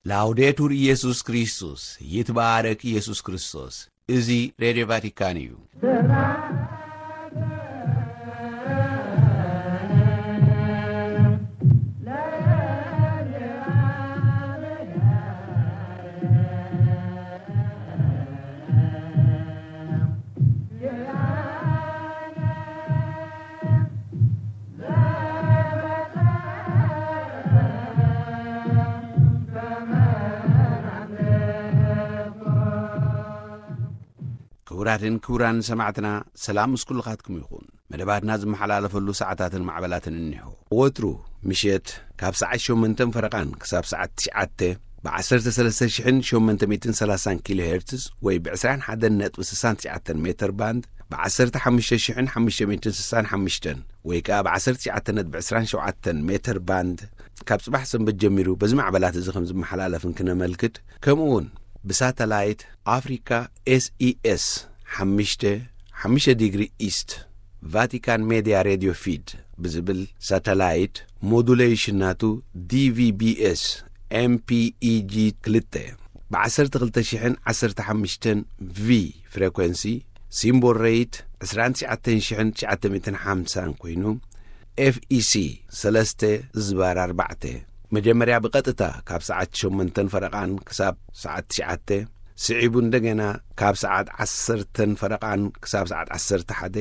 ላውዴቱር ኢየሱስ ክርስቶስ፣ ይትባረክ ኢየሱስ ክርስቶስ። እዚ ሬድዮ ቫቲካን እዩ። ክቡራትን ክቡራን ሰማዕትና፣ ሰላም ምስ ኩልኻትኩም ይኹን። መደባትና ዝመሓላለፈሉ ሰዓታትን ማዕበላትን እኒሆ። ወትሩ ምሸት ካብ ሰዓት ሸሞንተን ፈረቓን ክሳብ ሰዓት ትሽዓተ ብ ዓሰርተ ሰለስተ ሽሕን ሸሞንተ ሚእትን ሰላሳን ኪሎ ሄርትዝ ወይ ብ ዕስራን ሓደን ነጥቢ ስሳን ትሽዓተን ሜተር ባንድ፣ ብ ዓሰርተ ሓሙሽተ ሽሕን ሓሙሽተ ሚእትን ስሳን ሓሙሽተን ወይ ከኣ ብ ዓሰርተ ትሽዓተ ነጥቢ ዕስራን ሸውዓተን ሜተር ባንድ፣ ካብ ጽባሕ ሰንበት ጀሚሩ በዚ ማዕበላት እዚ ከም ዝመሓላለፍን ክነመልክት፣ ከምኡ እውን ብሳተላይት ኣፍሪካ ኤስኢኤስ ሓሙሽተ ሓሙሽተ ዲግሪ ኢስት፣ ቫቲካን ሜድያ ሬድዮ ፊድ ብዝብል ሳተላይት፣ ሞዱሌሽን ናቱ ዲቪቢኤስ ኤምፒኢጂ ክልተ ብ ዓሰርተ ክልተ ሽሕን ዓሰርተ ሓሙሽተን ቪ ፍሬኮንሲ፣ ሲምቦል ሬት ዕስራን ትሽዓተን ሽሕን ትሽዓተ ሚእትን ሓምሳን ኮይኑ፣ ኤፍኢሲ ሰለስተ ዝባር ኣርባዕተ፣ መጀመርያ ብቐጥታ ካብ ሰዓት ሸሞንተን ፈረቓን ክሳብ ሰዓት ትሽዓተ፣ ስዒቡ እንደገና ካብ ሰዓት ዓሰርተን ፈረቓን ክሳብ ሰዓት ዓሰርተ ሓደ፣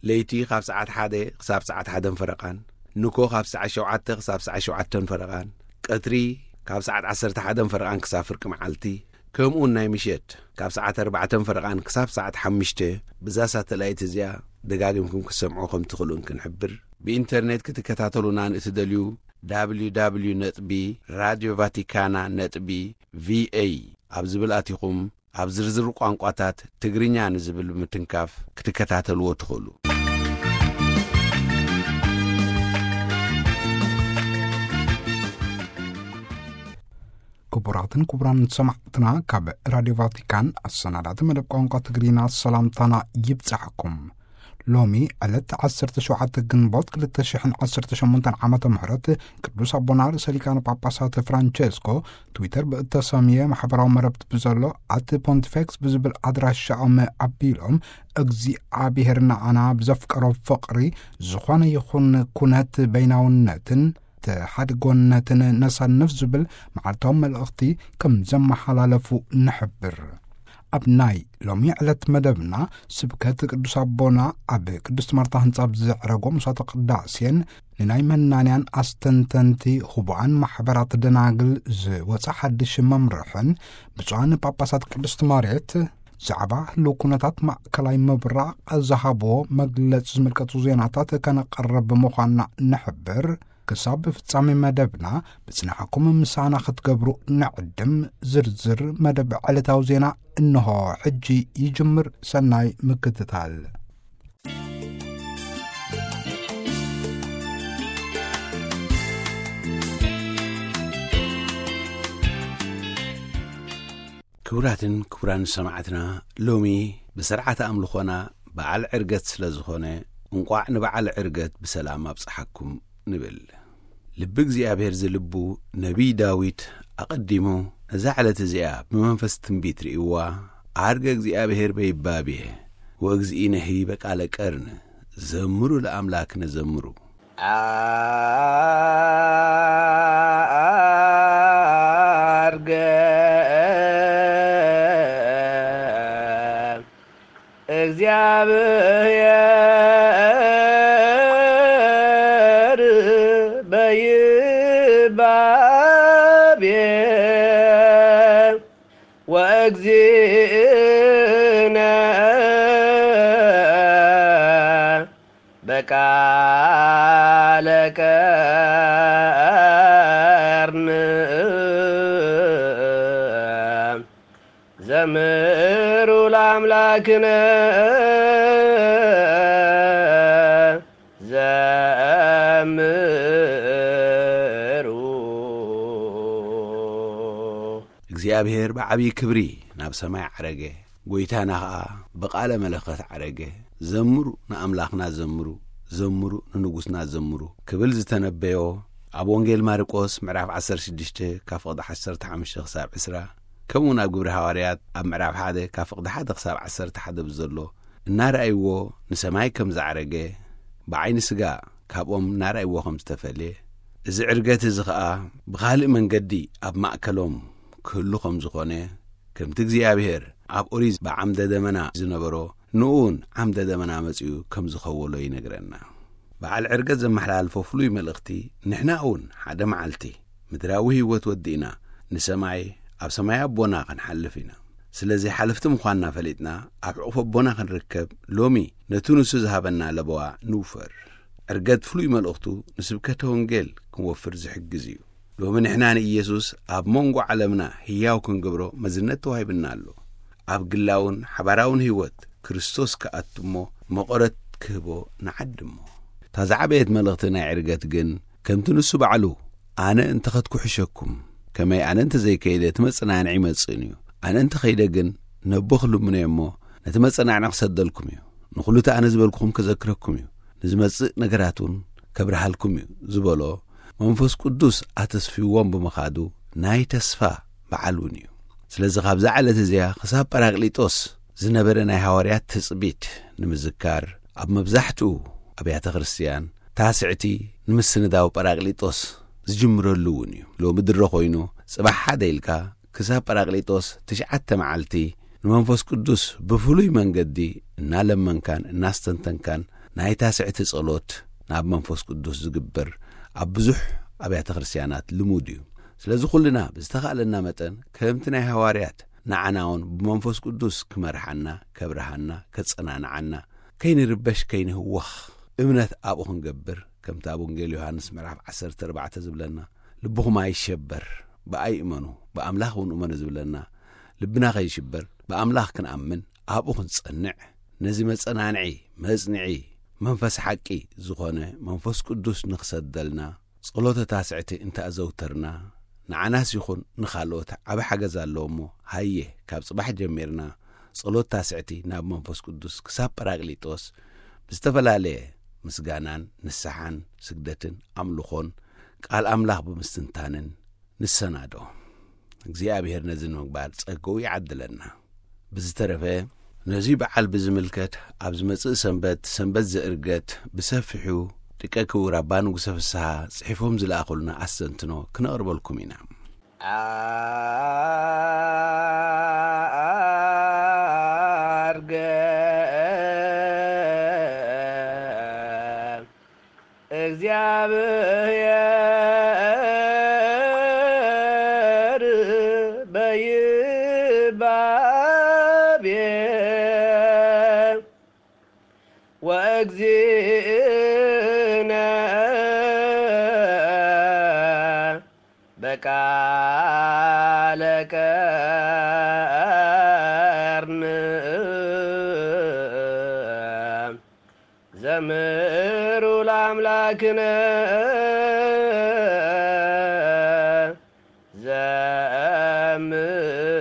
ለይቲ ካብ ሰዓት ሓደ ክሳብ ሰዓት ሓደን ፈረቓን፣ ንኮ ካብ ሰዓት ሸውዓተ ክሳብ ሰዓት ሸውዓተን ፈረቓን፣ ቀትሪ ካብ ሰዓት ዓሰርተ ሓደን ፈረቓን ክሳብ ፍርቂ መዓልቲ፣ ከምኡውን ናይ ምሸት ካብ ሰዓት ኣርባዕተን ፈረቓን ክሳብ ሰዓት ሓሙሽተ፣ ብዛ ሳተላይት እዚኣ ደጋጊምኩም ክትሰምዑ ከም ትኽእሉን ክንሕብር። ብኢንተርኔት ክትከታተሉና ንእትደልዩ፣ www ነጥቢ ራድዮ ቫቲካና ነጥቢ ቪኤ ኣብ ዝብል ኣቲኹም፣ ኣብ ዝርዝር ቋንቋታት ትግርኛ ንዝብል ብምትንካፍ ክትከታተልዎ ትኽእሉ። ክቡራትን ክቡራን ሰማዕትና፣ ካብ ራድዮ ቫቲካን ኣሰናዳቲ መደብ ቋንቋ ትግርኛ ሰላምታና ይብጻሕኩም። ሎሚ ዕለት ዓሰርተ ሸውዓተ ግንቦት ክልተ ሽሕን ዓሰርተ ሸሞንተን ዓመተ ምህረት፣ ቅዱስ ኣቦና ርእሰ ሊቃነ ጳጳሳት ፍራንቸስኮ ትዊተር ብእተሰምየ ማሕበራዊ መረብቲ ብዘሎ ኣት ፖንቲፌክስ ብዝብል ኣድራሻኦም ኣቢሎም፣ እግዚኣብሔር ንዓና ብዘፍቀሮ ፍቕሪ ዝኾነ ይኹን ኩነት በይናውነትን ተሓድጎነትን ነሳንፍ ዝብል መዓልታዊ መልእኽቲ ከም ዘመሓላለፉ ንሕብር። ኣብ ናይ ሎሚ ዕለት መደብና፣ ስብከት ቅዱስ ኣቦና ኣብ ቅድስት ማርታ ህንጻ ብዘዕረጎ ምሳተ ቅዳሴን ንናይ መናንያን ኣስተንተንቲ ህቡኣን ማሕበራት ደናግል ዝወጸ ሓድሽ መምርሕን ብፁዓን ጳጳሳት ቅድስት መሬት ዛዕባ ህልው ኩነታት ማእከላይ ምብራቕ ዝሃብዎ መግለጺ ዝምልከቱ ዜናታት ከነቐርብ ምዃንና ንሕብር። ክሳብ ፍጻሜ መደብና ብጽንዓኩም ምሳና ክትገብሩ ንዕድም። ዝርዝር መደብ ዕለታዊ ዜና እንሆ ሕጂ ይጅምር። ሰናይ ምክትታል። ክቡራትን ክቡራን ሰማዕትና፣ ሎሚ ብስርዓተ ኣምልኾና በዓል ዕርገት ስለ ዝኾነ፣ እንቋዕ ንበዓል ዕርገት ብሰላም ኣብጽሓኩም ንብል። ልቢ እግዚኣብሔር ዝልቡ ነቢይ ዳዊት ኣቐዲሙ ነዛ ዕለት እዚኣ ብመንፈስ ትንቢት ርእይዋ፣ ዓርገ እግዚኣብሔር በይባቤ ወእግዚእነሂ በቃለ ቀርን፣ ዘምሩ ለኣምላክነ ዘምሩ። ዓርገ እግዚኣብሔር በይባቤ ወእግዚእነ በቃለ ቀርን ዘምሩ ለአምላክነ ዘምሩ። እግዚኣብሔር ብዓብዪ ክብሪ ናብ ሰማይ ዓረገ፣ ጐይታና ኸኣ ብቓለ መለኸት ዓረገ። ዘምሩ ንኣምላኽና ዘምሩ፣ ዘምሩ ንንጉስና ዘምሩ ክብል ዝተነበዮ ኣብ ወንጌል ማርቆስ ምዕራፍ ዓሰርተ ሽዱሽተ ካብ ፍቕዲ ዓሰርተ ሓሙሽተ ክሳብ ዕስራ፣ ከምኡውን ኣብ ግብሪ ሃዋርያት ኣብ ምዕራፍ ሓደ ካብ ፍቕዲ ሓደ ክሳብ ዓሰርተ ሓደ ብዘሎ እናረኣይዎ፣ ንሰማይ ከም ዝዓረገ፣ ብዓይኒ ስጋ ካብኦም እናረኣይዎ ከም ዝተፈልየ፣ እዚ ዕርገት እዚ ኸኣ ብኻልእ መንገዲ ኣብ ማእከሎም ክህሉ ከም ዝኾነ፣ ከምቲ እግዚኣብሔር ኣብ ኦሪት ብዓምደ ደመና ዝነበሮ፣ ንኡውን ዓምደ ደመና መጺኡ ከም ዝኸወሎ ይነግረና። በዓል ዕርገት ዘመሓላልፎ ፍሉይ መልእኽቲ፣ ንሕና እውን ሓደ መዓልቲ ምድራዊ ህይወት ወዲእና ንሰማይ፣ ኣብ ሰማይ ኣቦና ክንሓልፍ ኢና። ስለዚ ሓለፍቲ ምዃንና ፈሊጥና ኣብ ሕቑፍ ኣቦና ክንርከብ፣ ሎሚ ነቲ ንሱ ዝሃበና ለበዋ ንውፈር። ዕርገት ፍሉይ መልእኽቱ ንስብከተ ወንጌል ክንወፍር ዝሕግዝ እዩ። ሎሚ ንሕና ንኢየሱስ ኣብ መንጎ ዓለምና ህያው ክንገብሮ መዝነት ተዋሂብና ኣሎ። ኣብ ግላውን ሓባራውን ህይወት ክርስቶስ ክኣቱ እሞ መቐረት ክህቦ ንዓዲ እሞ። እታ ዝዓበየት መልእኽቲ ናይ ዕርገት ግን ከምቲ ንሱ ባዕሉ፣ ኣነ እንተ ኸድኩ ሕሸኩም፣ ከመይ ኣነ እንተ ዘይከይደ እቲ መጸናንዒ ይመጽእን እዩ። ኣነ እንተ ኸይደ ግን ነቦ ክልምኖ እየ እሞ ነቲ መጸናንዒ ክሰደልኩም እዩ። ንኹሉ እቲ ኣነ ዝበልኩኹም ከዘክረኩም እዩ። ንዝመጽእ ነገራት እውን ከብርሃልኩም እዩ ዝበሎ መንፈስ ቅዱስ ኣተስፊዎም ብምኻዱ ናይ ተስፋ በዓል እውን እዩ። ስለዚ ካብዛ ዕለት እዚኣ ክሳብ ጳራቅሊጦስ ዝነበረ ናይ ሃዋርያት ትጽቢት ንምዝካር ኣብ መብዛሕትኡ ኣብያተ ክርስትያን ታስዕቲ ንምስንዳው ጳራቅሊጦስ ዝጅምረሉ እውን እዩ። ሎሚ ድሮ ኮይኑ ጽባሕ ሓደ ኢልካ ክሳብ ጳራቅሊጦስ ትሽዓተ መዓልቲ ንመንፈስ ቅዱስ ብፍሉይ መንገዲ እናለመንካን እናስተንተንካን ናይ ታስዕቲ ጸሎት ናብ መንፈስ ቅዱስ ዝግበር ኣብ ብዙሕ ኣብያተ ክርስትያናት ልሙድ እዩ። ስለዚ ኩልና ብዝተኻእለና መጠን ከምቲ ናይ ሃዋርያት ንዓና እውን ብመንፈስ ቅዱስ ክመርሓና፣ ከብርሃና፣ ከጸናንዓና፣ ከይንርበሽ ከይንህወኽ እምነት ኣብኡ ክንገብር፣ ከምቲ ኣብ ወንጌል ዮሃንስ ምዕራፍ ዓሰርተ ኣርባዕተ ዝብለና፣ ልብኹም ኣይሸበር፣ ብኣይ እመኑ፣ ብኣምላኽ እውን እመኑ ዝብለና፣ ልብና ከይሽበር ብኣምላኽ ክንኣምን ኣብኡ ክንጸንዕ፣ ነዚ መጸናንዒ መጽንዒ መንፈስ ሓቂ ዝኾነ መንፈስ ቅዱስ ንኽሰደልና ጸሎተ ታስዕቲ እንተኣዘውተርና፣ ንዓናስ ይኹን ንኻልኦት ዓቢ ሓገዝ ኣለዎ እሞ፣ ሃየ፣ ካብ ጽባሕ ጀሚርና ጸሎት ታስዕቲ ናብ መንፈስ ቅዱስ ክሳብ ጳራቅሊጦስ ብዝተፈላለየ ምስጋናን ንስሓን ስግደትን ኣምልኾን ቃል ኣምላኽ ብምስትንታንን ንሰናዶ። እግዚኣብሔር ነዚ ንምግባር ጸጋኡ ይዓድለና። ብዝተረፈ ነዚ በዓል ብዝምልከት ኣብ ዝመጽእ ሰንበት፣ ሰንበት ዘእርገት ብሰፊሑ ሊቀ ክቡር ኣባ ንጉሰ ፍስሃ ጽሒፎም ዝለኣኹልና ኣስተንትኖ ክነቕርበልኩም ኢና። ኣርገ እግዚኣብሔር በይባቤ ወእግዚእነ በቃለ ቀርን ዘምሩ ለአምላክነ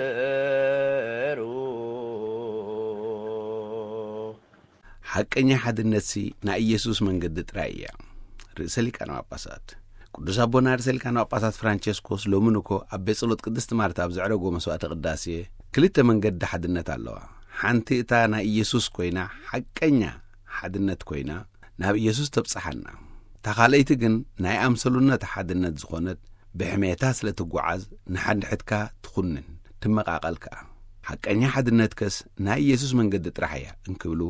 ዘምሩ። ሓቀኛ ሓድነትሲ ናይ ኢየሱስ መንገዲ ጥራይ እያ። ርእሰ ሊቃነ ጳጳሳት ቅዱስ ኣቦና ርእሰ ሊቃነ ጳጳሳት ፍራንቸስኮስ ሎሚ ንኮ ኣብ ቤት ጸሎት ቅድስቲ ማርታ ኣብ ዘዕረጎ መስዋዕተ ቅዳሴ፣ ክልተ መንገዲ ሓድነት ኣለዋ። ሓንቲ እታ ናይ ኢየሱስ ኮይና፣ ሓቀኛ ሓድነት ኮይና፣ ናብ ኢየሱስ ተብጽሓና። እታ ካልኣይቲ ግን ናይ ኣምሰሉነት ሓድነት ዝኾነት፣ ብሕሜታ ስለ ትጓዓዝ ንሓድሕድካ ትኹንን፣ ትመቓቐል ከኣ። ሓቀኛ ሓድነትከስ ናይ ኢየሱስ መንገዲ ጥራሕ እያ እንክብሉ፣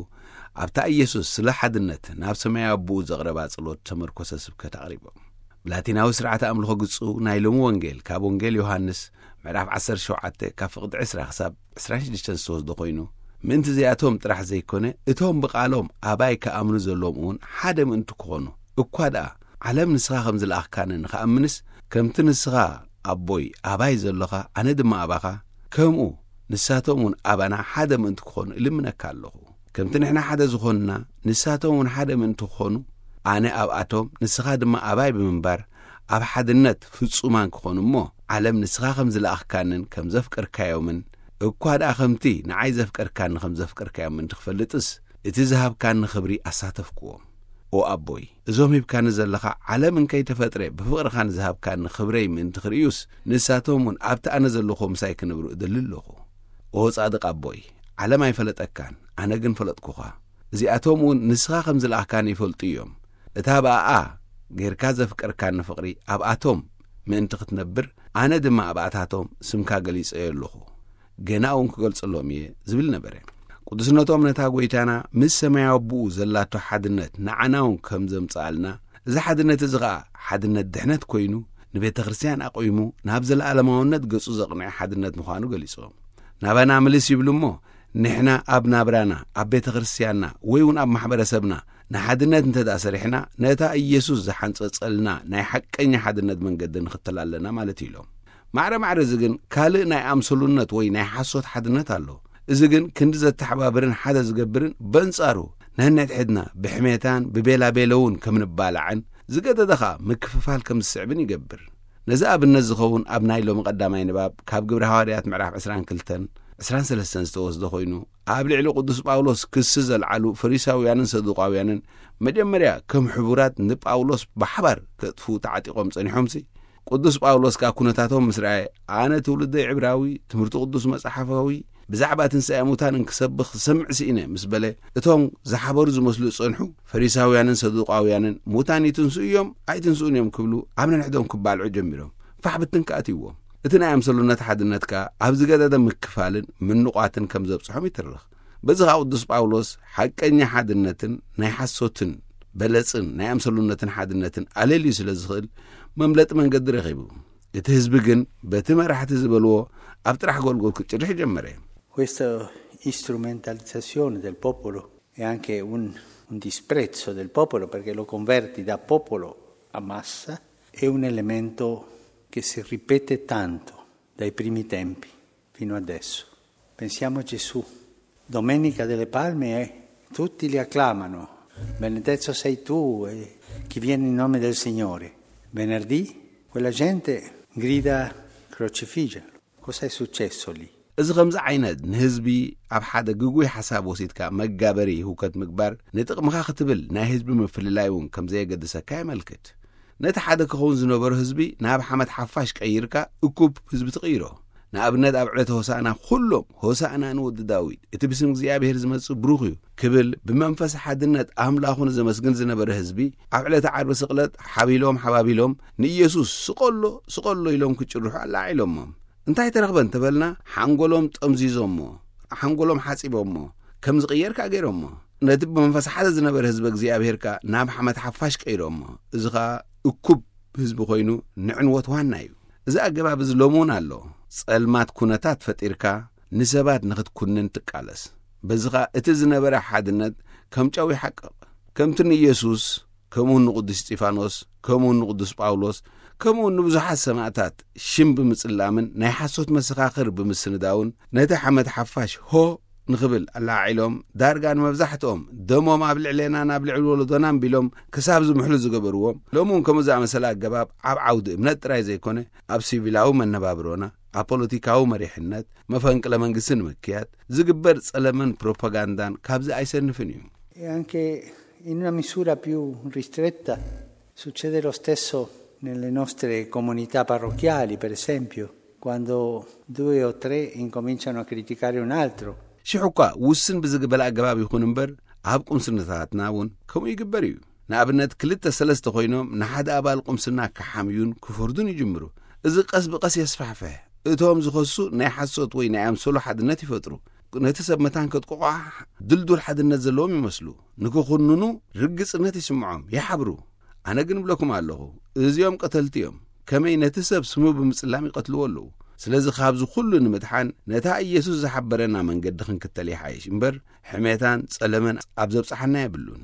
ኣብታ ኢየሱስ ስለ ሓድነት ናብ ሰማያዊ ኣቦኡ ዘቕረባ ጸሎት ተመርኮሰ ስብከት ኣቕሪቦም። ብላቲናዊ ስርዓተ ኣምልኾ ግጹ ናይ ሎሚ ወንጌል ካብ ወንጌል ዮሃንስ ምዕራፍ ዓሰርተ ሸውዓተ ካብ ፍቕዲ ዕስራ ክሳብ ዕስራን ሽዱሽተን ዝተወስደ ኮይኑ፣ ምእንቲ እዚኣቶም ጥራሕ ዘይኮነ፣ እቶም ብቓሎም ኣባይ ክኣምኑ ዘለዎም እውን ሓደ ምእንቲ ክኾኑ፣ እኳ ደኣ ዓለም ንስኻ ከም ዝለኣኽካኒ ንኽኣምንስ፣ ከምቲ ንስኻ ኣቦይ ኣባይ ዘሎኻ፣ ኣነ ድማ ኣባኻ፣ ከምኡ ንሳቶም እውን ኣባና ሓደ ምእንቲ ክኾኑ እልምነካ ኣለኹ። ከምቲ ንሕና ሓደ ዝኾንና፣ ንሳቶም እውን ሓደ ምእንቲ ክኾኑ፣ ኣነ ኣብኣቶም፣ ንስኻ ድማ ኣባይ ብምንባር፣ ኣብ ሓድነት ፍጹማን ክኾኑ እሞ፣ ዓለም ንስኻ ከም ዝለኣኽካንን ከም ዘፍቀርካዮምን፣ እኳ ደኣ ከምቲ ንዓይ ዘፍቀርካኒ ከም ዘፍቀርካዮም ምእንቲ ክፈልጥስ፣ እቲ ዝሃብካኒ ክብሪ ኣሳተፍክዎም። ኦ ኣቦይ፣ እዞም ሂብካኒ ዘለኻ ዓለም እንከይተፈጥረ ብፍቕርኻ ንዝሃብካኒ ክብረይ ምእንቲ ክርእዩስ፣ ንሳቶም እውን ኣብቲ ኣነ ዘለኹዎ ምሳይ ክነብሩ እደሊ ኣለኹ። ኦ ጻድቕ ኣቦይ፣ ዓለም ኣይፈለጠካን፣ ኣነ ግን ፈለጥኩኻ። እዚኣቶም እውን ንስኻ ከም ዝለኣኽካኒ ይፈልጡ እዮም። እታ ብኣኣ ጌርካ ዘፍቀርካኒ ፍቕሪ ኣብኣቶም ምእንቲ ክትነብር፣ ኣነ ድማ ኣብኣታቶም ስምካ ገሊጸዮ ኣለኹ። ገና እውን ክገልጸሎም እየ ዝብል ነበረ። ቅዱስነቶም ነታ ጐይታና ምስ ሰማያዊ ኣቦኡ ዘላቶ ሓድነት ንዓና እውን ከም ዘምጽኣልና፣ እዚ ሓድነት እዚ ኸኣ ሓድነት ድሕነት ኮይኑ፣ ንቤተ ክርስቲያን ኣቑሙ ናብ ዘለኣለማውነት ገጹ ዘቕንዐ ሓድነት ምዃኑ ገሊጾም። ናባና ምልስ ይብሉ እሞ፣ ንሕና ኣብ ናብራና፣ ኣብ ቤተ ክርስቲያንና ወይ እውን ኣብ ማሕበረሰብና ንሓድነት እንተ ደኣ ሰሪሕና፣ ነታ ኢየሱስ ዝሓንጸጸልና ናይ ሓቀኛ ሓድነት መንገዲ ንኽተል ኣለና ማለት እዩ ኢሎም። ማዕረ ማዕረ እዚ ግን ካልእ ናይ ኣምሰሉነት ወይ ናይ ሓሶት ሓድነት ኣሎ። እዚ ግን ክንዲ ዘተሓባብርን ሓደ ዝገብርን በንጻሩ ነነድሕድና ብሕሜታን ብቤላቤለውን ከም ንባላዕን ዝገደደ ኸኣ ምክፍፋል ከም ዝስዕብን ይገብር። ነዚ ኣብነት ዝኸውን ኣብ ናይ ሎሚ ቀዳማይ ንባብ ካብ ግብረ ሃዋርያት ምዕራፍ ዕስራን ክልተን ዕስራን ሰለስተን ዝተወስደ ኮይኑ፣ ኣብ ልዕሊ ቅዱስ ጳውሎስ ክሲ ዘልዓሉ ፈሪሳውያንን ሰዱቃውያንን መጀመርያ ከም ሕቡራት ንጳውሎስ ብሓባር ከጥፍኡ ተዓጢቖም ጸኒሖምሲ፣ ቅዱስ ጳውሎስ ከኣ ኩነታቶም ምስ ረኣየ፣ ኣነ ትውልደይ ዕብራዊ፣ ትምህርቲ ቅዱስ መጽሓፋዊ፣ ብዛዕባ ትንሳኤ ሙታን እንክሰብኽ ክሰምዕ ስኢነ ምስ በለ፣ እቶም ዝሓበሩ ዝመስሉ ዝጸንሑ ፈሪሳውያንን ሰዱቃውያንን፣ "ሙታን ይትንስኡ እዮም ኣይትንስኡን እዮም" ክብሉ ኣብ ነንሕዶም ክባልዑ ጀሚሮም። ፋሕ ብትን ከኣ ኣትይዎም። እቲ ናይ ኣምሰሉነት ሓድነት ከኣ ኣብ ዝገደደ ምክፋልን ምንቋትን ከም ዘብጽሖም ይትርኽ። በዚ ኸኣ ቅዱስ ጳውሎስ ሓቀኛ ሓድነትን ናይ ሓሶትን በለጽን ናይ ኣምሰሉነትን ሓድነትን ኣለልዩ ስለ ዝኽእል፣ መምለጢ መንገዲ ረኺቡ። እቲ ህዝቢ ግን በቲ መራሕቲ ዝበልዎ ኣብ ጥራሕ ጎልጎል ክጭርሕ ጀመረ። Questa strumentalizzazione del popolo è anche un, un disprezzo del popolo, perché lo converti da popolo a massa, è un elemento che si ripete tanto dai primi tempi fino adesso. Pensiamo a Gesù. Domenica delle Palme, eh, tutti li acclamano: "Benedetto sei tu, eh, chi viene in nome del Signore." Venerdì quella gente grida: "Crocifiggerlo." Cosa è successo lì? እዚ ከምዚ ዓይነት ንህዝቢ ኣብ ሓደ ግጉይ ሓሳብ ወሲድካ መጋበሪ ህውከት ምግባር፣ ንጥቕምኻ ክትብል ናይ ህዝቢ ምፍልላይ እውን ከም ዘየገድሰካ የመልክት። ነቲ ሓደ ክኸውን ዝነበሮ ህዝቢ ናብ ሓመድ ሓፋሽ ቀይርካ እኩብ ህዝቢ ትቕይሮ። ንኣብነት ኣብ ዕለተ ሆሳእና ኩሎም "ሆሳእና ንወዲ ዳዊት፣ እቲ ብስም እግዚኣብሔር ዝመጽእ ብሩኽ እዩ" ክብል ብመንፈስ ሓድነት ኣምላኹ ንዘመስግን ዝነበረ ህዝቢ፣ ኣብ ዕለተ ዓርቢ ስቕለት ሓቢሎም ሓባቢሎም ንኢየሱስ "ስቐሎ፣ ስቐሎ" ኢሎም ክጭርሑ ኣላዒሎሞም። እንታይ ተረኽበ እንተበልና፣ ሓንጎሎም ጠምዚዞሞ፣ ሓንጎሎም ሓጺቦሞ፣ ከም ዝቕየር ከኣ ገይሮሞ። ነቲ ብመንፈስ ሓደ ዝነበረ ህዝቢ እግዚኣብሔር ከኣ ናብ ሓመድ ሓፋሽ ቀይሮሞ። እዚ ኸኣ እኩብ ህዝቢ ኮይኑ ንዕንወት ዋና እዩ። እዚ ኣገባብ እዚ ሎሚ እውን ኣሎ። ጸልማት ኩነታት ፈጢርካ ንሰባት ንኽትኩንን ትቃለስ። በዚ ኸኣ እቲ ዝነበረ ሓድነት ከም ጨው ይሓቅቕ። ከምቲ ንኢየሱስ፣ ከምኡውን ንቅዱስ እስጢፋኖስ፣ ከምኡውን ንቅዱስ ጳውሎስ፣ ከምኡውን ንብዙሓት ሰማእታት ሽም ብምጽላምን ናይ ሓሶት መሰኻኽር ብምስንዳውን ነቲ ሓመድ ሓፋሽ ሆ ንኽብል ኣላዒሎም፣ ዳርጋ ንመብዛሕትኦም ደሞም ኣብ ልዕሌና ናብ ልዕሊ ወለዶና ቢሎም ክሳብ ዝምሕሉ ዝገበርዎም፣ ሎሚ እውን ከምኡ ዝኣመሰለ ኣገባብ ኣብ ዓውዲ እምነት ጥራይ ዘይኮነ፣ ኣብ ሲቪላዊ መነባብሮና፣ ኣብ ፖለቲካዊ መሪሕነት፣ መፈንቅለ መንግስቲ ንምክያድ ዝግበር ጸለመን ፕሮፓጋንዳን ካብዚ ኣይሰንፍን እዩ። E anche in una misura più ristretta succede lo stesso nelle nostre comunità parrocchiali, per esempio, quando due o tre incominciano a criticare un altro. ሽሕ እኳ ውስን ብዝግበል ኣገባብ ይኹን እምበር፣ ኣብ ቁምስናታትና እውን ከምኡ ይግበር እዩ። ንኣብነት፣ ክልተ ሰለስተ ኮይኖም ንሓደ ኣባል ቁምስና ክሓምዩን ክፈርዱን ይጅምሩ። እዚ ቀስ ብቐስ የስፋሕፍሕ። እቶም ዝኸሱ ናይ ሓሶት ወይ ናይ ኣምሰሉ ሓድነት ይፈጥሩ። ነቲ ሰብ መታን ከጥቅቑ ድልዱል ሓድነት ዘለዎም ይመስሉ። ንክኹንኑ ርግጽነት ይስምዖም፣ ይሓብሩ። ኣነ ግን እብለኩም ኣለኹ፣ እዚኦም ቀተልቲ እዮም። ከመይ ነቲ ሰብ ስሙ ብምጽላም ይቐትልዎ ኣለዉ። ስለዚ ካብዚ ኩሉ ንምድሓን ነታ ኢየሱስ ዝሓበረና መንገዲ ክንክተል ይሓይሽ እምበር፣ ሕሜታን ጸለመን ኣብ ዘብጽሓና የብሉን።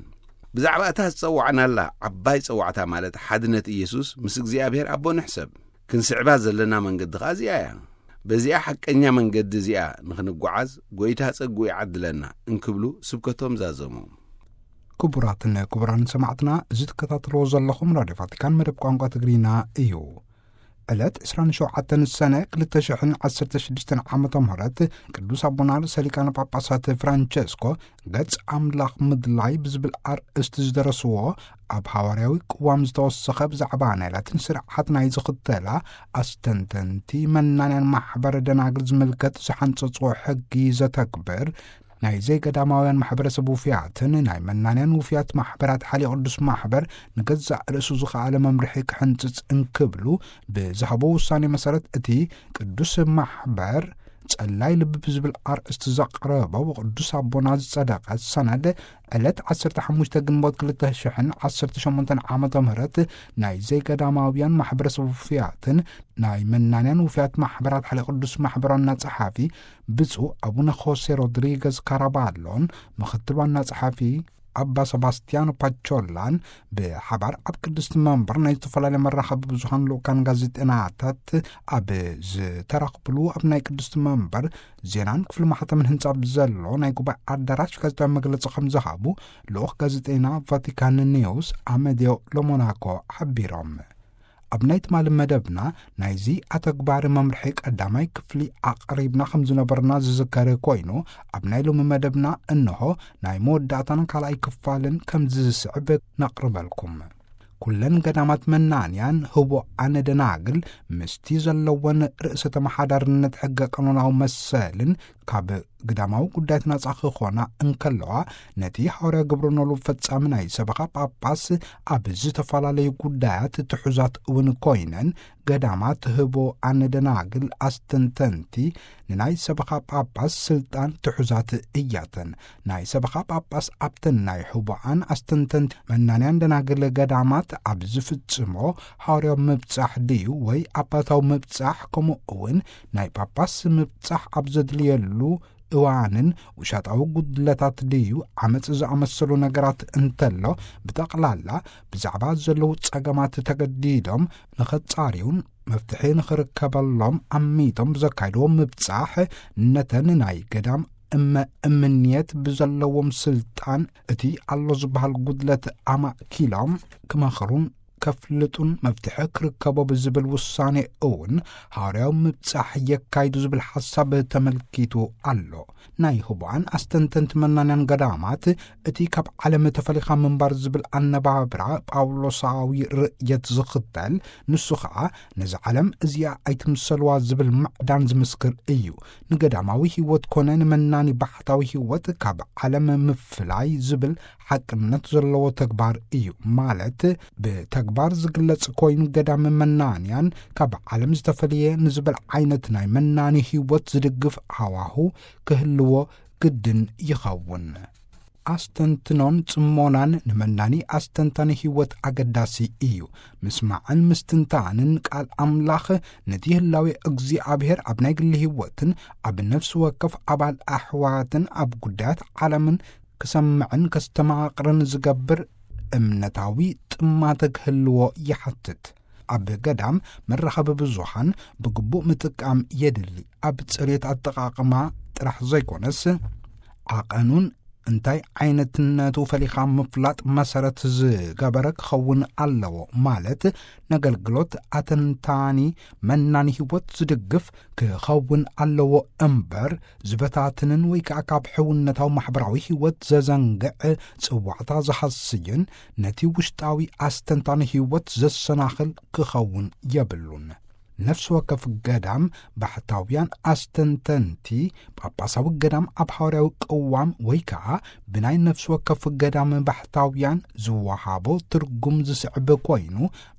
ብዛዕባ እታ ዝጸዋዕናላ ዓባይ ጸዋዕታ፣ ማለት ሓድነት ኢየሱስ ምስ እግዚኣብሔር ኣቦ ንሕሰብ። ክንስዕባ ዘለና መንገዲ ኸኣ እዚኣ እያ። በዚኣ ሓቀኛ መንገዲ እዚኣ ንኽንጓዓዝ ጐይታ ጸግኡ ይዓድለና እንክብሉ ስብከቶም ዛዘሙ። ክቡራትን ክቡራን ሰማዕትና፣ እዚ ትከታተልዎ ዘለኹም ራድዮ ቫቲካን መደብ ቋንቋ ትግርኛ እዩ። ዕለት ዕስራን ሸውዓተን ሰነ ክልተ ሽሕን ዓሰርተ ሽዱሽተን ዓመተ ምህረት ቅዱስ ኣቦና ርእሰ ሊቃነ ጳጳሳት ፍራንቸስኮ ገጽ ኣምላኽ ምድላይ ብዝብል ኣርእስቲ ዝደረስዎ ኣብ ሃዋርያዊ ቅዋም ዝተወሰኸ ብዛዕባ ናይ ላቲን ስርዓት ናይ ዝኽተላ ኣስተንተንቲ መናንያን ማሕበር ደናግል ዝምልከት ዝሓንጸጽዎ ሕጊ ዘተግብር ናይ ዘይገዳማውያን ማሕበረሰብ ውፍያትን ናይ መናንያን ውፍያት ማሕበራት ሓሊ ቅዱስ ማሕበር ንገዛእ ርእሱ ዝኸኣለ መምርሒ ክሕንጽጽ እንክብሉ ብዝሃቦ ውሳኔ መሰረት እቲ ቅዱስ ማሕበር ጸላይ ልቢ ብዝብል ኣርእስቲ ዘቕረቦ ብቅዱስ ኣቦና ዝጸደቐ ሰነድ ዕለት ዓሰርተ ሓሙሽተ ግንቦት ክልተ ሽሕን ዓሰርተ ሸሞንተን ዓመተ ምህረት ናይ ዘይገዳማውያን ማሕበረሰብ ውፍያትን ናይ መናንያን ውፍያት ማሕበራት ሓሊ ቅዱስ ማሕበር ዋና ጸሓፊ ብፁዕ ኣቡነ ኾሴ ሮድሪገዝ ካራባሎን ምኽትል ዋና ጸሓፊ ኣባ ሰባስቲያኖ ፓቾላን ብሓባር ኣብ ቅድስቲ መንበር ናይ ዝተፈላለዩ መራኸቢ ብዙሃን ልኡካን ጋዜጠናታት ኣብ ዝተረኽብሉ ኣብ ናይ ቅድስቲ መንበር ዜናን ክፍሊ ማሕተምን ህንጻ ብዘሎ ናይ ጉባኤ ኣዳራሽ ጋዜጣዊ መግለጺ ከም ዝሃቡ ልኡኽ ጋዜጠና ቫቲካን ኒውስ ኣመድዮ ሎሞናኮ ሓቢሮም። ኣብ ናይ ትማሊ መደብና ናይዚ ኣተግባሪ መምርሒ ቀዳማይ ክፍሊ ኣቕሪብና ከም ዝነበርና ዝዝከር ኮይኑ፣ ኣብ ናይ ሎሚ መደብና እንሆ ናይ መወዳእታን ካልኣይ ክፋልን ከም ዝስዕብ ነቕርበልኩም። ኩለን ገዳማት መናንያን ህቡኣን ደናግል ምስቲ ዘለወን ርእሰ ተመሓዳርነት ሕገ ቀኖናዊ መሰልን ካብ ግዳማዊ ጉዳያት ናጻ ክኾና እንከለዋ፣ ነቲ ሃዋርያ ግብረ ኖሉ ፈጻሚ ናይ ሰበኻ ጳጳስ ኣብ ዝተፈላለዩ ጉዳያት ትሑዛት እውን ኮይነን፣ ገዳማት ህቡኣን ደናግል ኣስተንተንቲ ንናይ ሰበኻ ጳጳስ ስልጣን ትሑዛት እያተን። ናይ ሰበኻ ጳጳስ ኣብተን ናይ ህቡኣን ኣስተንተንቲ መናንያን ደናግል ገዳማት ኣብ ዝፍጽሞ ሃዋርያዊ ምብጻሕ ድዩ ወይ ኣባታዊ ምብጻሕ፣ ከምኡ እውን ናይ ጳጳስ ምብጻሕ ኣብ ዘድልየሉ እዋንን ውሻጣዊ ጉድለታት ድዩ ዓመጽ ዝኣመሰሉ ነገራት እንተሎ፣ ብጠቕላላ ብዛዕባ ዘለዉ ጸገማት ተገዲዶም ንኸጻርዩን መፍትሒ ንኽርከበሎም ኣሚቶም ብዘካይድዎ ምብጻሕ፣ ነተን ናይ ገዳም እመ እምንየት ብዘለዎም ስልጣን እቲ ኣሎ ዝበሃል ጉድለት ኣማእኪሎም ክመኽሩን ከፍልጡን መፍትሒ ክርከቦ ብዝብል ውሳኔ እውን ሃዋርያዊ ምብጻሕ የካይዱ ዝብል ሓሳብ ተመልኪቱ ኣሎ። ናይ ህቡኣን ኣስተንተንቲ መናንያን ገዳማት እቲ ካብ ዓለም ተፈሊኻ ምንባር ዝብል ኣነባብራ ጳውሎሳዊ ርእየት ዝኽተል፣ ንሱ ኸዓ ነዚ ዓለም እዚኣ ኣይትምሰልዋ ዝብል ምዕዳን ዝምስክር እዩ። ንገዳማዊ ህይወት ኮነ ንመናኒ ባሕታዊ ህይወት ካብ ዓለም ምፍላይ ዝብል ሓቅነት ዘለዎ ተግባር እዩ። ማለት ብተግባር ዝግለጽ ኮይኑ፣ ገዳም መናንያን ካብ ዓለም ዝተፈልየ ንዝብል ዓይነት ናይ መናኒ ህይወት ዝድግፍ ሃዋሁ ክህልዎ ግድን ይኸውን። ኣስተንትኖን ጽሞናን ንመናኒ ኣስተንታኒ ህይወት ኣገዳሲ እዩ። ምስማዕን ምስትንታንን ቃል ኣምላኽ ነቲ ህላዌ እግዚኣብሔር ኣብ ናይ ግሊ ህይወትን ኣብ ነፍሲ ወከፍ ኣባል ኣሕዋትን ኣብ ጉዳያት ዓለምን ክሰምዕን ከስተማቕርን ዝገብር እምነታዊ ጥማተ ክህልዎ ይሓትት። ኣብ ገዳም መራኸቢ ብዙሃን ብግቡእ ምጥቃም የድሊ። ኣብ ጽሬት ኣጠቓቕማ ጥራሕ ዘይኮነስ፣ ዓቐኑን እንታይ ዓይነትነቱ ፈሊኻ ምፍላጥ መሰረት ዝገበረ ክኸውን ኣለዎ። ማለት፣ ነገልግሎት ኣተንታኒ መናኒ ህይወት ዝድግፍ ክኸውን ኣለዎ እምበር፣ ዝበታትንን ወይ ከኣ ካብ ሕውነታዊ ማሕበራዊ ህይወት ዘዘንግዕ ጽዋዕታ ዝሃስይን ነቲ ውሽጣዊ ኣስተንታኒ ህይወት ዘሰናኽል ክኸውን የብሉን። ነፍሲ ወከፍ ገዳም ባሕታውያን ኣስተንተንቲ ጳጳሳዊ ገዳም ኣብ ሃዋርያዊ ቅዋም ወይ ከኣ ብናይ ነፍሲ ወከፍ ገዳም ባሕታውያን ዝወሃቦ ትርጉም ዝስዕብ ኮይኑ፣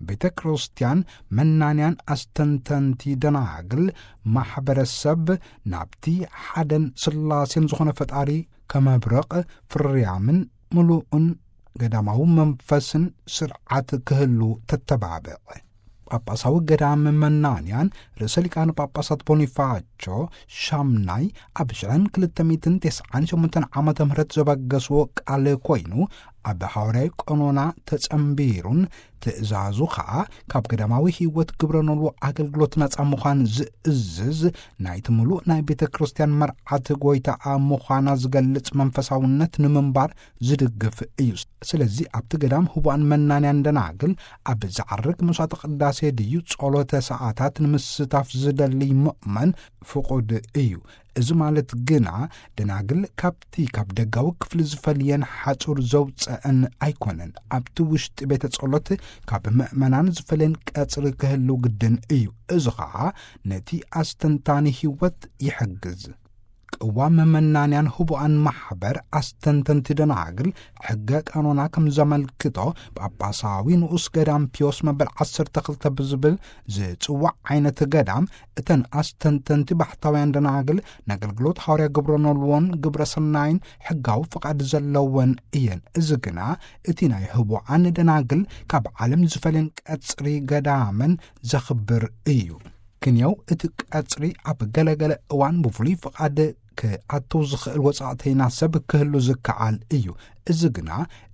ቤተ ክርስቲያን መናንያን ኣስተንተንቲ ደናግል ማሕበረሰብ ናብቲ ሓደን ስላሴን ዝኾነ ፈጣሪ ከመብረቕ ፍርያምን ምሉእን ገዳማዊ መንፈስን ስርዓት ክህሉ ተተባብዕ። ጳጳሳዊ ገዳም መናንያን ርእሰ ሊቃነ ጳጳሳት ቦኒፋቾ ሻምናይ ኣብ ሽሕን ክልተ ሚእትን ተስዓን ሸሞንተን ዓመተ ምህረት ዘበገስዎ ቃል ኮይኑ፣ ኣብ ሃዋርያዊ ቀኖና ተጸንቢሩን ትእዛዙ ኸኣ ካብ ገዳማዊ ህይወት ግብረ ኖልዎ ኣገልግሎት ነጻ ምዃን ዝእዝዝ ናይቲ ምሉእ ናይ ቤተ ክርስቲያን መርዓት ጐይታኣ ምዃና ዝገልጽ መንፈሳውነት ንምንባር ዝድግፍ እዩ። ስለዚ ኣብቲ ገዳም ህቡኣን መናንያን ደናግል ኣብ ዝዓርግ መስዋዕተ ቅዳሴ ድዩ ጸሎተ ሰዓታት ንምስታፍ ዝደሊ ምእመን ፍቑድ እዩ። እዚ ማለት ግና ደናግል ካብቲ ካብ ደጋዊ ክፍሊ ዝፈልየን ሓጹር ዘውጸአን ኣይኮነን። ኣብቲ ውሽጢ ቤተ ጸሎት ካብ ምእመናን ዝፈልየን ቀጽሪ ክህልው ግድን እዩ። እዚ ኸኣ ነቲ ኣስተንታኒ ህይወት ይሕግዝ። ቅዋም መናንያን ህቡኣን ማሕበር ኣስተንተንቲ ደናግል ሕገ ቀኖና ከም ዘመልክቶ ጳጳሳዊ ንኡስ ገዳም ፒዮስ መበል ዓሰርተ ክልተ ብዝብል ዝጽዋዕ ዓይነት ገዳም እተን ኣስተንተንቲ ባሕታውያን ደናግል ንኣገልግሎት ሃዋርያ ግብረ ኖልዎን ግብረ ሰናይን ሕጋዊ ፍቓድ ዘለወን እየን። እዚ ግና እቲ ናይ ህቡኣን ደናግል ካብ ዓለም ዝፈልየን ቀጽሪ ገዳመን ዘኽብር እዩ። ክንየው እቲ ቀጽሪ ኣብ ገለገለ እዋን ብፍሉይ ፍቓድ ክኣትው ዝኽእል ወጻእተይና ሰብ ክህሉ ዝከኣል እዩ። እዚ ግና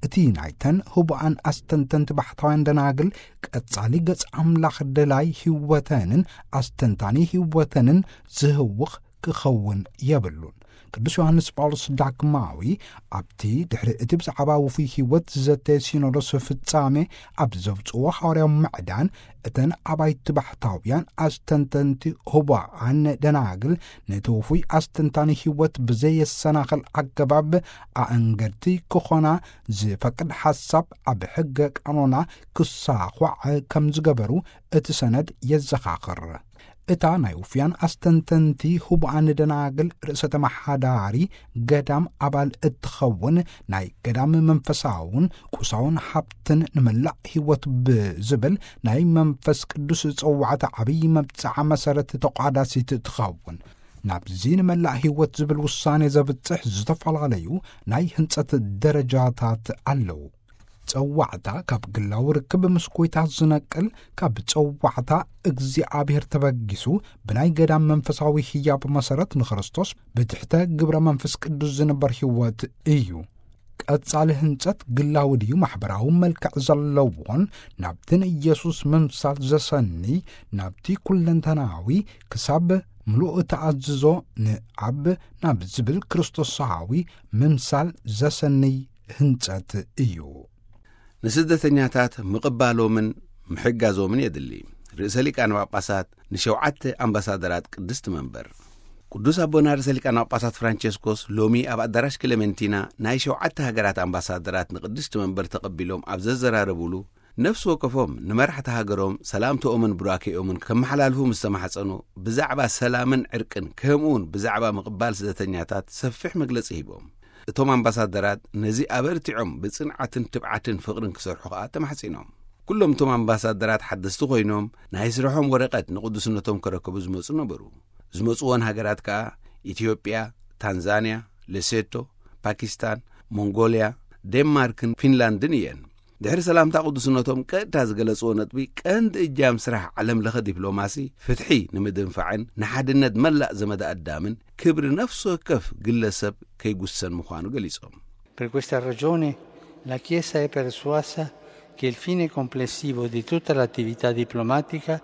እቲ ናይተን ህቡኣን ኣስተንተንቲ ባሕታውያን ደናግል ቀጻሊ ገጽ ኣምላኽ ደላይ ህይወተንን ኣስተንታኒ ህይወተንን ዝህውኽ ክኸውን የብሉን። ቅዱስ ዮሃንስ ጳውሎስ ዳግማዊ ኣብቲ ድሕሪ እቲ ብዛዕባ ውፉይ ህይወት ዝዘተየ ሲኖዶስ ፍጻሜ ኣብ ዘውጽዎ ሃዋርያዊ ምዕዳን እተን ኣባይቲ ባሕታውያን ኣስተንተንቲ ህቡኣን ደናግል ነቲ ውፉይ ኣስተንታኒ ህይወት ብዘየሰናኽል ኣገባብ ኣእንገድቲ ክኾና ዝፈቅድ ሓሳብ ኣብ ሕገ ቀኖና ክሳዃዕ ከም ዝገበሩ እቲ ሰነድ የዘኻኽር። እታ ናይ ውፍያን ኣስተንተንቲ ህቡኣን ደናግል ርእሰ ተመሓዳሪ ገዳም ኣባል እትኸውን ናይ ገዳም መንፈሳውን ቁሳውን ሃብትን ንመላእ ህይወት ብዝብል ናይ መንፈስ ቅዱስ ጸዋዕታ ዓብዪ መብጽዓ መሰረት ተቋዳሲት ትኸውን። ናብዚ ንመላእ ህይወት ዝብል ውሳኔ ዘብጽሕ ዝተፈላለዩ ናይ ህንጸት ደረጃታት ኣለዉ። ጸዋዕታ ካብ ግላዊ ርክብ ምስ ጎይታ ዝነቅል፣ ካብ ጸዋዕታ እግዚኣብሔር ተበጊሱ ብናይ ገዳም መንፈሳዊ ህያብ መሰረት ንክርስቶስ ብትሕተ ግብረ መንፈስ ቅዱስ ዝንበር ህይወት እዩ። ቀጻሊ ህንጸት ግላዊ ድዩ ማሕበራዊ መልክዕ ዘለዎን ናብቲ ንኢየሱስ ምምሳል ዘሰኒ፣ ናብቲ ኩለንተናዊ ክሳብ ምሉእ ተኣዝዞ ንኣብ ናብ ዝብል ክርስቶሳዊ ምምሳል ዘሰንይ ህንጸት እዩ። ንስደተኛታት ምቕባሎምን ምሕጋዞምን የድሊ። ርእሰ ሊቃነ ጳጳሳት ንሸውዓተ ኣምባሳደራት ቅድስቲ መንበር። ቅዱስ ኣቦና ርእሰ ሊቃነ ጳጳሳት ፍራንቸስኮስ ሎሚ ኣብ ኣዳራሽ ክሌመንቲና ናይ ሸውዓተ ሃገራት ኣምባሳደራት ንቅድስቲ መንበር ተቐቢሎም ኣብ ዘዘራረቡሉ፣ ነፍሲ ወከፎም ንመራሕቲ ሃገሮም ሰላምተኦምን ቡራኬኦምን ከመሓላልፉ ምስ ተማሕጸኑ፣ ብዛዕባ ሰላምን ዕርቅን ከምኡውን ብዛዕባ ምቕባል ስደተኛታት ሰፊሕ መግለጺ ሂቦም። እቶም ኣምባሳደራት ነዚ ኣበርቲዖም ብጽንዓትን ትብዓትን ፍቕርን ክሰርሑ ከኣ ተማሕጺኖም። ኩሎም እቶም ኣምባሳደራት ሓደስቲ ኮይኖም ናይ ስርሖም ወረቐት ንቅዱስነቶም ከረከቡ ዝመጹ ነበሩ። ዝመጽወን ሃገራት ከኣ ኢትዮጵያ፣ ታንዛንያ፣ ሌሴቶ፣ ፓኪስታን፣ ሞንጎልያ፣ ዴንማርክን ፊንላንድን እየን። ድሕሪ ሰላምታ ቅዱስነቶም ቀጥታ ዝገለጽዎ ነጥቢ ቀንዲ እጃም ስራሕ ዓለም ለኸ ዲፕሎማሲ ፍትሒ ንምድንፋዕን ንሓድነት መላእ ዘመደ ኣዳምን ክብሪ ነፍሲ ወከፍ ግለሰብ ከይጉሰን ምዃኑ ገሊጾም። Per questa ragione la Chiesa è persuasa che il fine complessivo di tutta l'attività diplomatica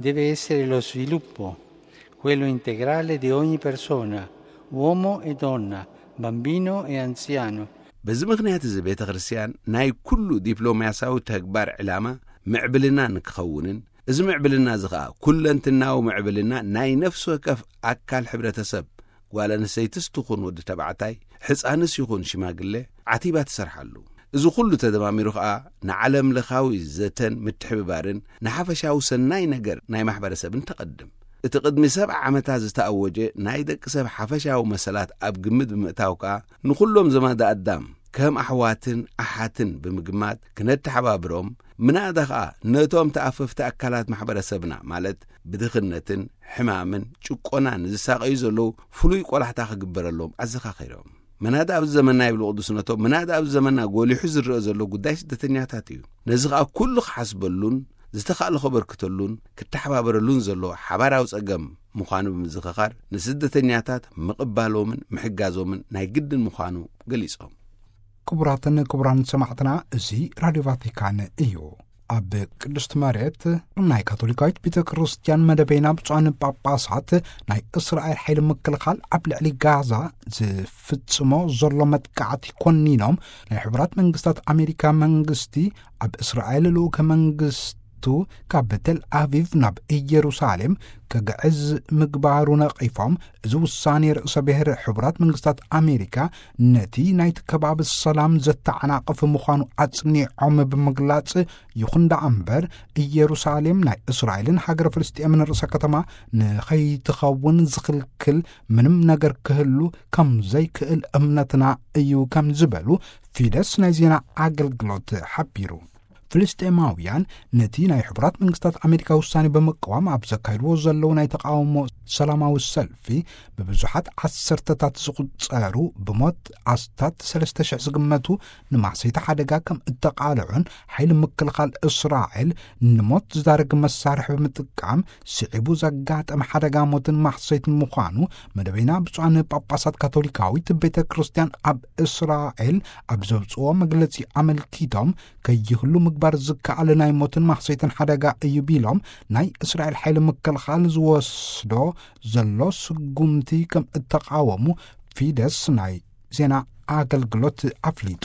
deve essere lo sviluppo, quello integrale di ogni persona, uomo e donna, bambino e anziano. በዚ ምኽንያት እዚ ቤተ ክርስቲያን ናይ ኩሉ ዲፕሎማስያዊ ተግባር ዕላማ ምዕብልና ንክኸውንን፣ እዚ ምዕብልና እዚ ኸኣ ኩለንትናዊ ምዕብልና ናይ ነፍሲ ወከፍ ኣካል ሕብረተሰብ፣ ጓል ኣንስተይትስ ትኹን ወዲ ተባዕታይ፣ ሕፃንስ ይኹን ሽማግለ፣ ዓቲባ ትሰርሓሉ። እዚ ኩሉ ተደማሚሩ ኸኣ ንዓለም ለኻዊ ዘተን ምትሕብባርን ንሓፈሻዊ ሰናይ ነገር ናይ ማሕበረሰብን ተቐድም። እቲ ቅድሚ ሰብዓ ዓመታት ዝተኣወጀ ናይ ደቂ ሰብ ሓፈሻዊ መሰላት ኣብ ግምት ብምእታው ከኣ ንኹሎም ዘማዳ ኣዳም ከም ኣሕዋትን ኣሓትን ብምግማት ክነተሓባብሮም፣ ምናዳ ኸኣ ነቶም ተኣፈፍቲ ኣካላት ማሕበረሰብና፣ ማለት ብድኽነትን ሕማምን ጭቆናን ዝሳቐዩ ዘለዉ ፍሉይ ቆላሕታ ክግበረሎም ኣዘኻኺሮም። ምናዳ ኣብዚ ዘመንና ይብሉ ቅዱስነቶም፣ ምናዳ ኣብዚ ዘመንና ጎሊሑ ዝረአ ዘሎ ጉዳይ ስደተኛታት እዩ። ነዚ ኸኣ ኩሉ ክሓስበሉን ዝተኻእለ ከበርክተሉን ክተሓባበረሉን ዘሎ ሓባራዊ ጸገም ምዃኑ ብምዝኽኻር፣ ንስደተኛታት ምቕባሎምን ምሕጋዞምን ናይ ግድን ምዃኑ ገሊጾም። ክቡራትን ክቡራን ሰማዕትና፣ እዚ ራድዮ ቫቲካን እዩ። ኣብ ቅድስት መሬት ናይ ካቶሊካዊት ቤተ ክርስቲያን መደበይና ብፁዓን ጳጳሳት ናይ እስራኤል ሓይሊ ምክልኻል ኣብ ልዕሊ ጋዛ ዝፍጽሞ ዘሎ መጥቃዕቲ ኮኒኖም፣ ናይ ሕቡራት መንግስታት ኣሜሪካ መንግስቲ ኣብ እስራኤል ልኡከ መንግስቱ ካብ ቴል ኣቪቭ ናብ ኢየሩሳሌም ከግዕዝ ምግባሩ ነቒፎም፣ እዚ ውሳኔ ርእሰ ብሔር ሕቡራት መንግስታት ኣሜሪካ ነቲ ናይቲ ከባቢ ሰላም ዘተዓናቕፍ ምዃኑ ኣጽኒዖም ብምግላጽ፣ ይኹን ደኣ እምበር፣ ኢየሩሳሌም ናይ እስራኤልን ሃገረ ፍልስጤምን ርእሰ ከተማ ንኸይትኸውን ዝኽልክል ምንም ነገር ክህሉ ከም ዘይክእል እምነትና እዩ ከም ዝበሉ ፊደስ ናይ ዜና ኣገልግሎት ሓቢሩ። ፍልስጤማውያን ነቲ ናይ ሕቡራት መንግስታት ኣሜሪካ ውሳኔ ብምቅዋም ኣብ ዘካይድዎ ዘለዉ ናይ ተቃውሞ ሰላማዊ ሰልፊ፣ ብብዙሓት ዓሰርተታት ዝቑጸሩ፣ ብሞት ኣስታት ሰለስተ ሽሕ ዝግመቱ ንማሕሰይቲ ሓደጋ ከም እተቓልዑን፣ ሓይሊ ምክልኻል እስራኤል ንሞት ዝዳርግ መሳርሒ ብምጥቃም ስዒቡ ዘጋጠመ ሓደጋ ሞትን ማሕሰይትን ምዃኑ መደበይና ብፁዓን ጳጳሳት ካቶሊካዊት ቤተ ክርስቲያን ኣብ እስራኤል ኣብ ዘውፅዎ መግለጺ ኣመልኪቶም፣ ከይህሉ ምግባር ዝከኣል ናይ ሞትን ማሕሰይትን ሓደጋ እዩ ቢሎም፣ ናይ እስራኤል ሓይሊ ምክልኻል ዝወስዶ ዘሎ ስጉምቲ ከም እተቃወሙ ፊደስ ናይ ዜና ኣገልግሎት ኣፍሊጡ።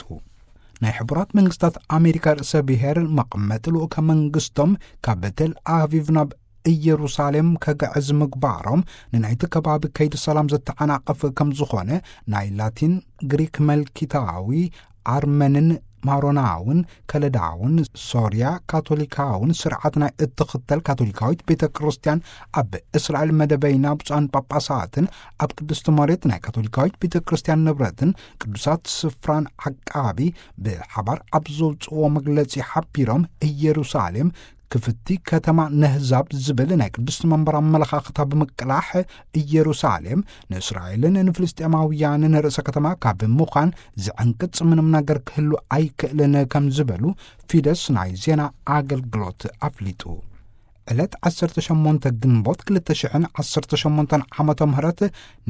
ናይ ሕቡራት መንግስታት ኣሜሪካ ርእሰ ብሔር መቐመጢ ልኡከ መንግስቶም ካብ ቴል ኣቪቭ ናብ ኢየሩሳሌም ከግዕዝ ምግባሮም፣ ንናይቲ ከባቢ ከይዲ ሰላም ዘተዓናቕፍ ከም ዝኾነ፣ ናይ ላቲን፣ ግሪክ፣ መልኪታዊ፣ ኣርመንን ማሮናውን ከለዳውን ሶርያ ካቶሊካውን ስርዓት ናይ እትኽተል ካቶሊካዊት ቤተ ክርስቲያን፣ ኣብ እስራኤል መደበይና ብፁዓን ጳጳሳትን ኣብ ቅድስቲ መሬት ናይ ካቶሊካዊት ቤተ ክርስቲያን ንብረትን ቅዱሳት ስፍራን ዓቃቢ ብሓባር ኣብ ዘውፅዎ መግለጺ ሓቢሮም፣ ኢየሩሳሌም ክፍቲ ከተማ ነህዛብ ዝብል ናይ ቅድስቲ መንበር ኣመለኻኽታ ብምቅላሕ፣ ኢየሩሳሌም ንእስራኤልን ንፍልስጤማውያንን ርእሰ ከተማ ካብ ምዃን ዝዕንቅጽ ምንም ነገር ክህሉ ኣይክእልን ከም ዝበሉ ፊደስ ናይ ዜና ኣገልግሎት ኣፍሊጡ። ዕለት ዓሰርተ ሸሞንተ ግንቦት ክልተ ሽሕን ዓሰርተ ሸሞንተን ዓመተ ምህረት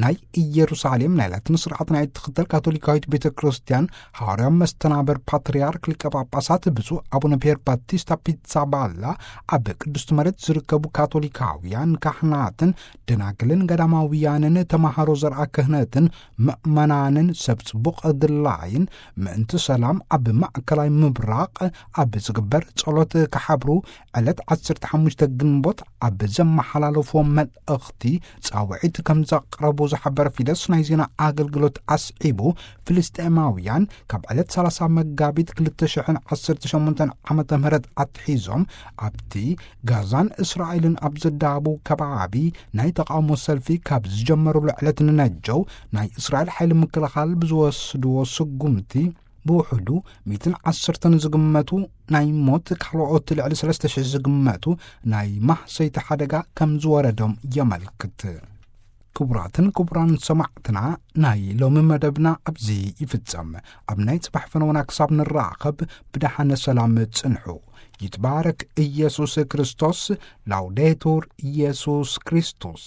ናይ ኢየሩሳሌም ናይ ላቲን ስርዓት ናይ እትኽተል ካቶሊካዊት ቤተ ክርስቲያን ሃዋርያዊ መስተናበር ፓትርያርክ ሊቀ ጳጳሳት ብፁዕ ኣቡነ ፒየር ባቲስታ ፒትሳባላ ኣብ ቅድስቲ መሬት ዝርከቡ ካቶሊካውያን ካህናትን ደናግልን ገዳማውያንን ተማሃሮ ዘርኣ ክህነትን ምእመናንን ሰብ ጽቡቕ ድላይን ምእንቲ ሰላም ኣብ ማእከላይ ምብራቕ ኣብ ዝግበር ጸሎት ክሓብሩ ዕለት ዓሰርተ ሓሙሽተ ግንቦት ኣብ ዘመሓላለፍዎ መልእኽቲ ጻውዒት ከም ዘቕረቡ ዝሓበረ ፊደስ ናይ ዜና ኣገልግሎት ኣስዒቡ፣ ፍልስጤማውያን ካብ ዕለት ሰላሳ መጋቢት ክልተ ሽሕን ዓሰርተ ሸሞንተን ዓመተ ምህረት ኣትሒዞም ኣብቲ ጋዛን እስራኤልን ኣብ ዘዳሃቡ ከባቢ ናይ ተቃውሞ ሰልፊ ካብ ዝጀመሩሉ ዕለት ንነጀው ናይ እስራኤል ሓይሊ ምክልኻል ብዝወስድዎ ስጉምቲ ብውሕዱ ሚእትን ዓሰርተን ዝግመቱ ናይ ሞት፣ ካልኦት ልዕሊ ሰለስተ ሽሕ ዝግመቱ ናይ ማህሰይቲ ሓደጋ ከም ዝወረዶም የመልክት። ክቡራትን ክቡራን ሰማዕትና፣ ናይ ሎሚ መደብና ኣብዚ ይፍጸም። ኣብ ናይ ጽባሕ ፈነወና ክሳብ ንራኸብ ብደሓነ ሰላም ጽንሑ። ይትባረክ ኢየሱስ ክርስቶስ። ላውዴቱር ኢየሱስ ክርስቶስ።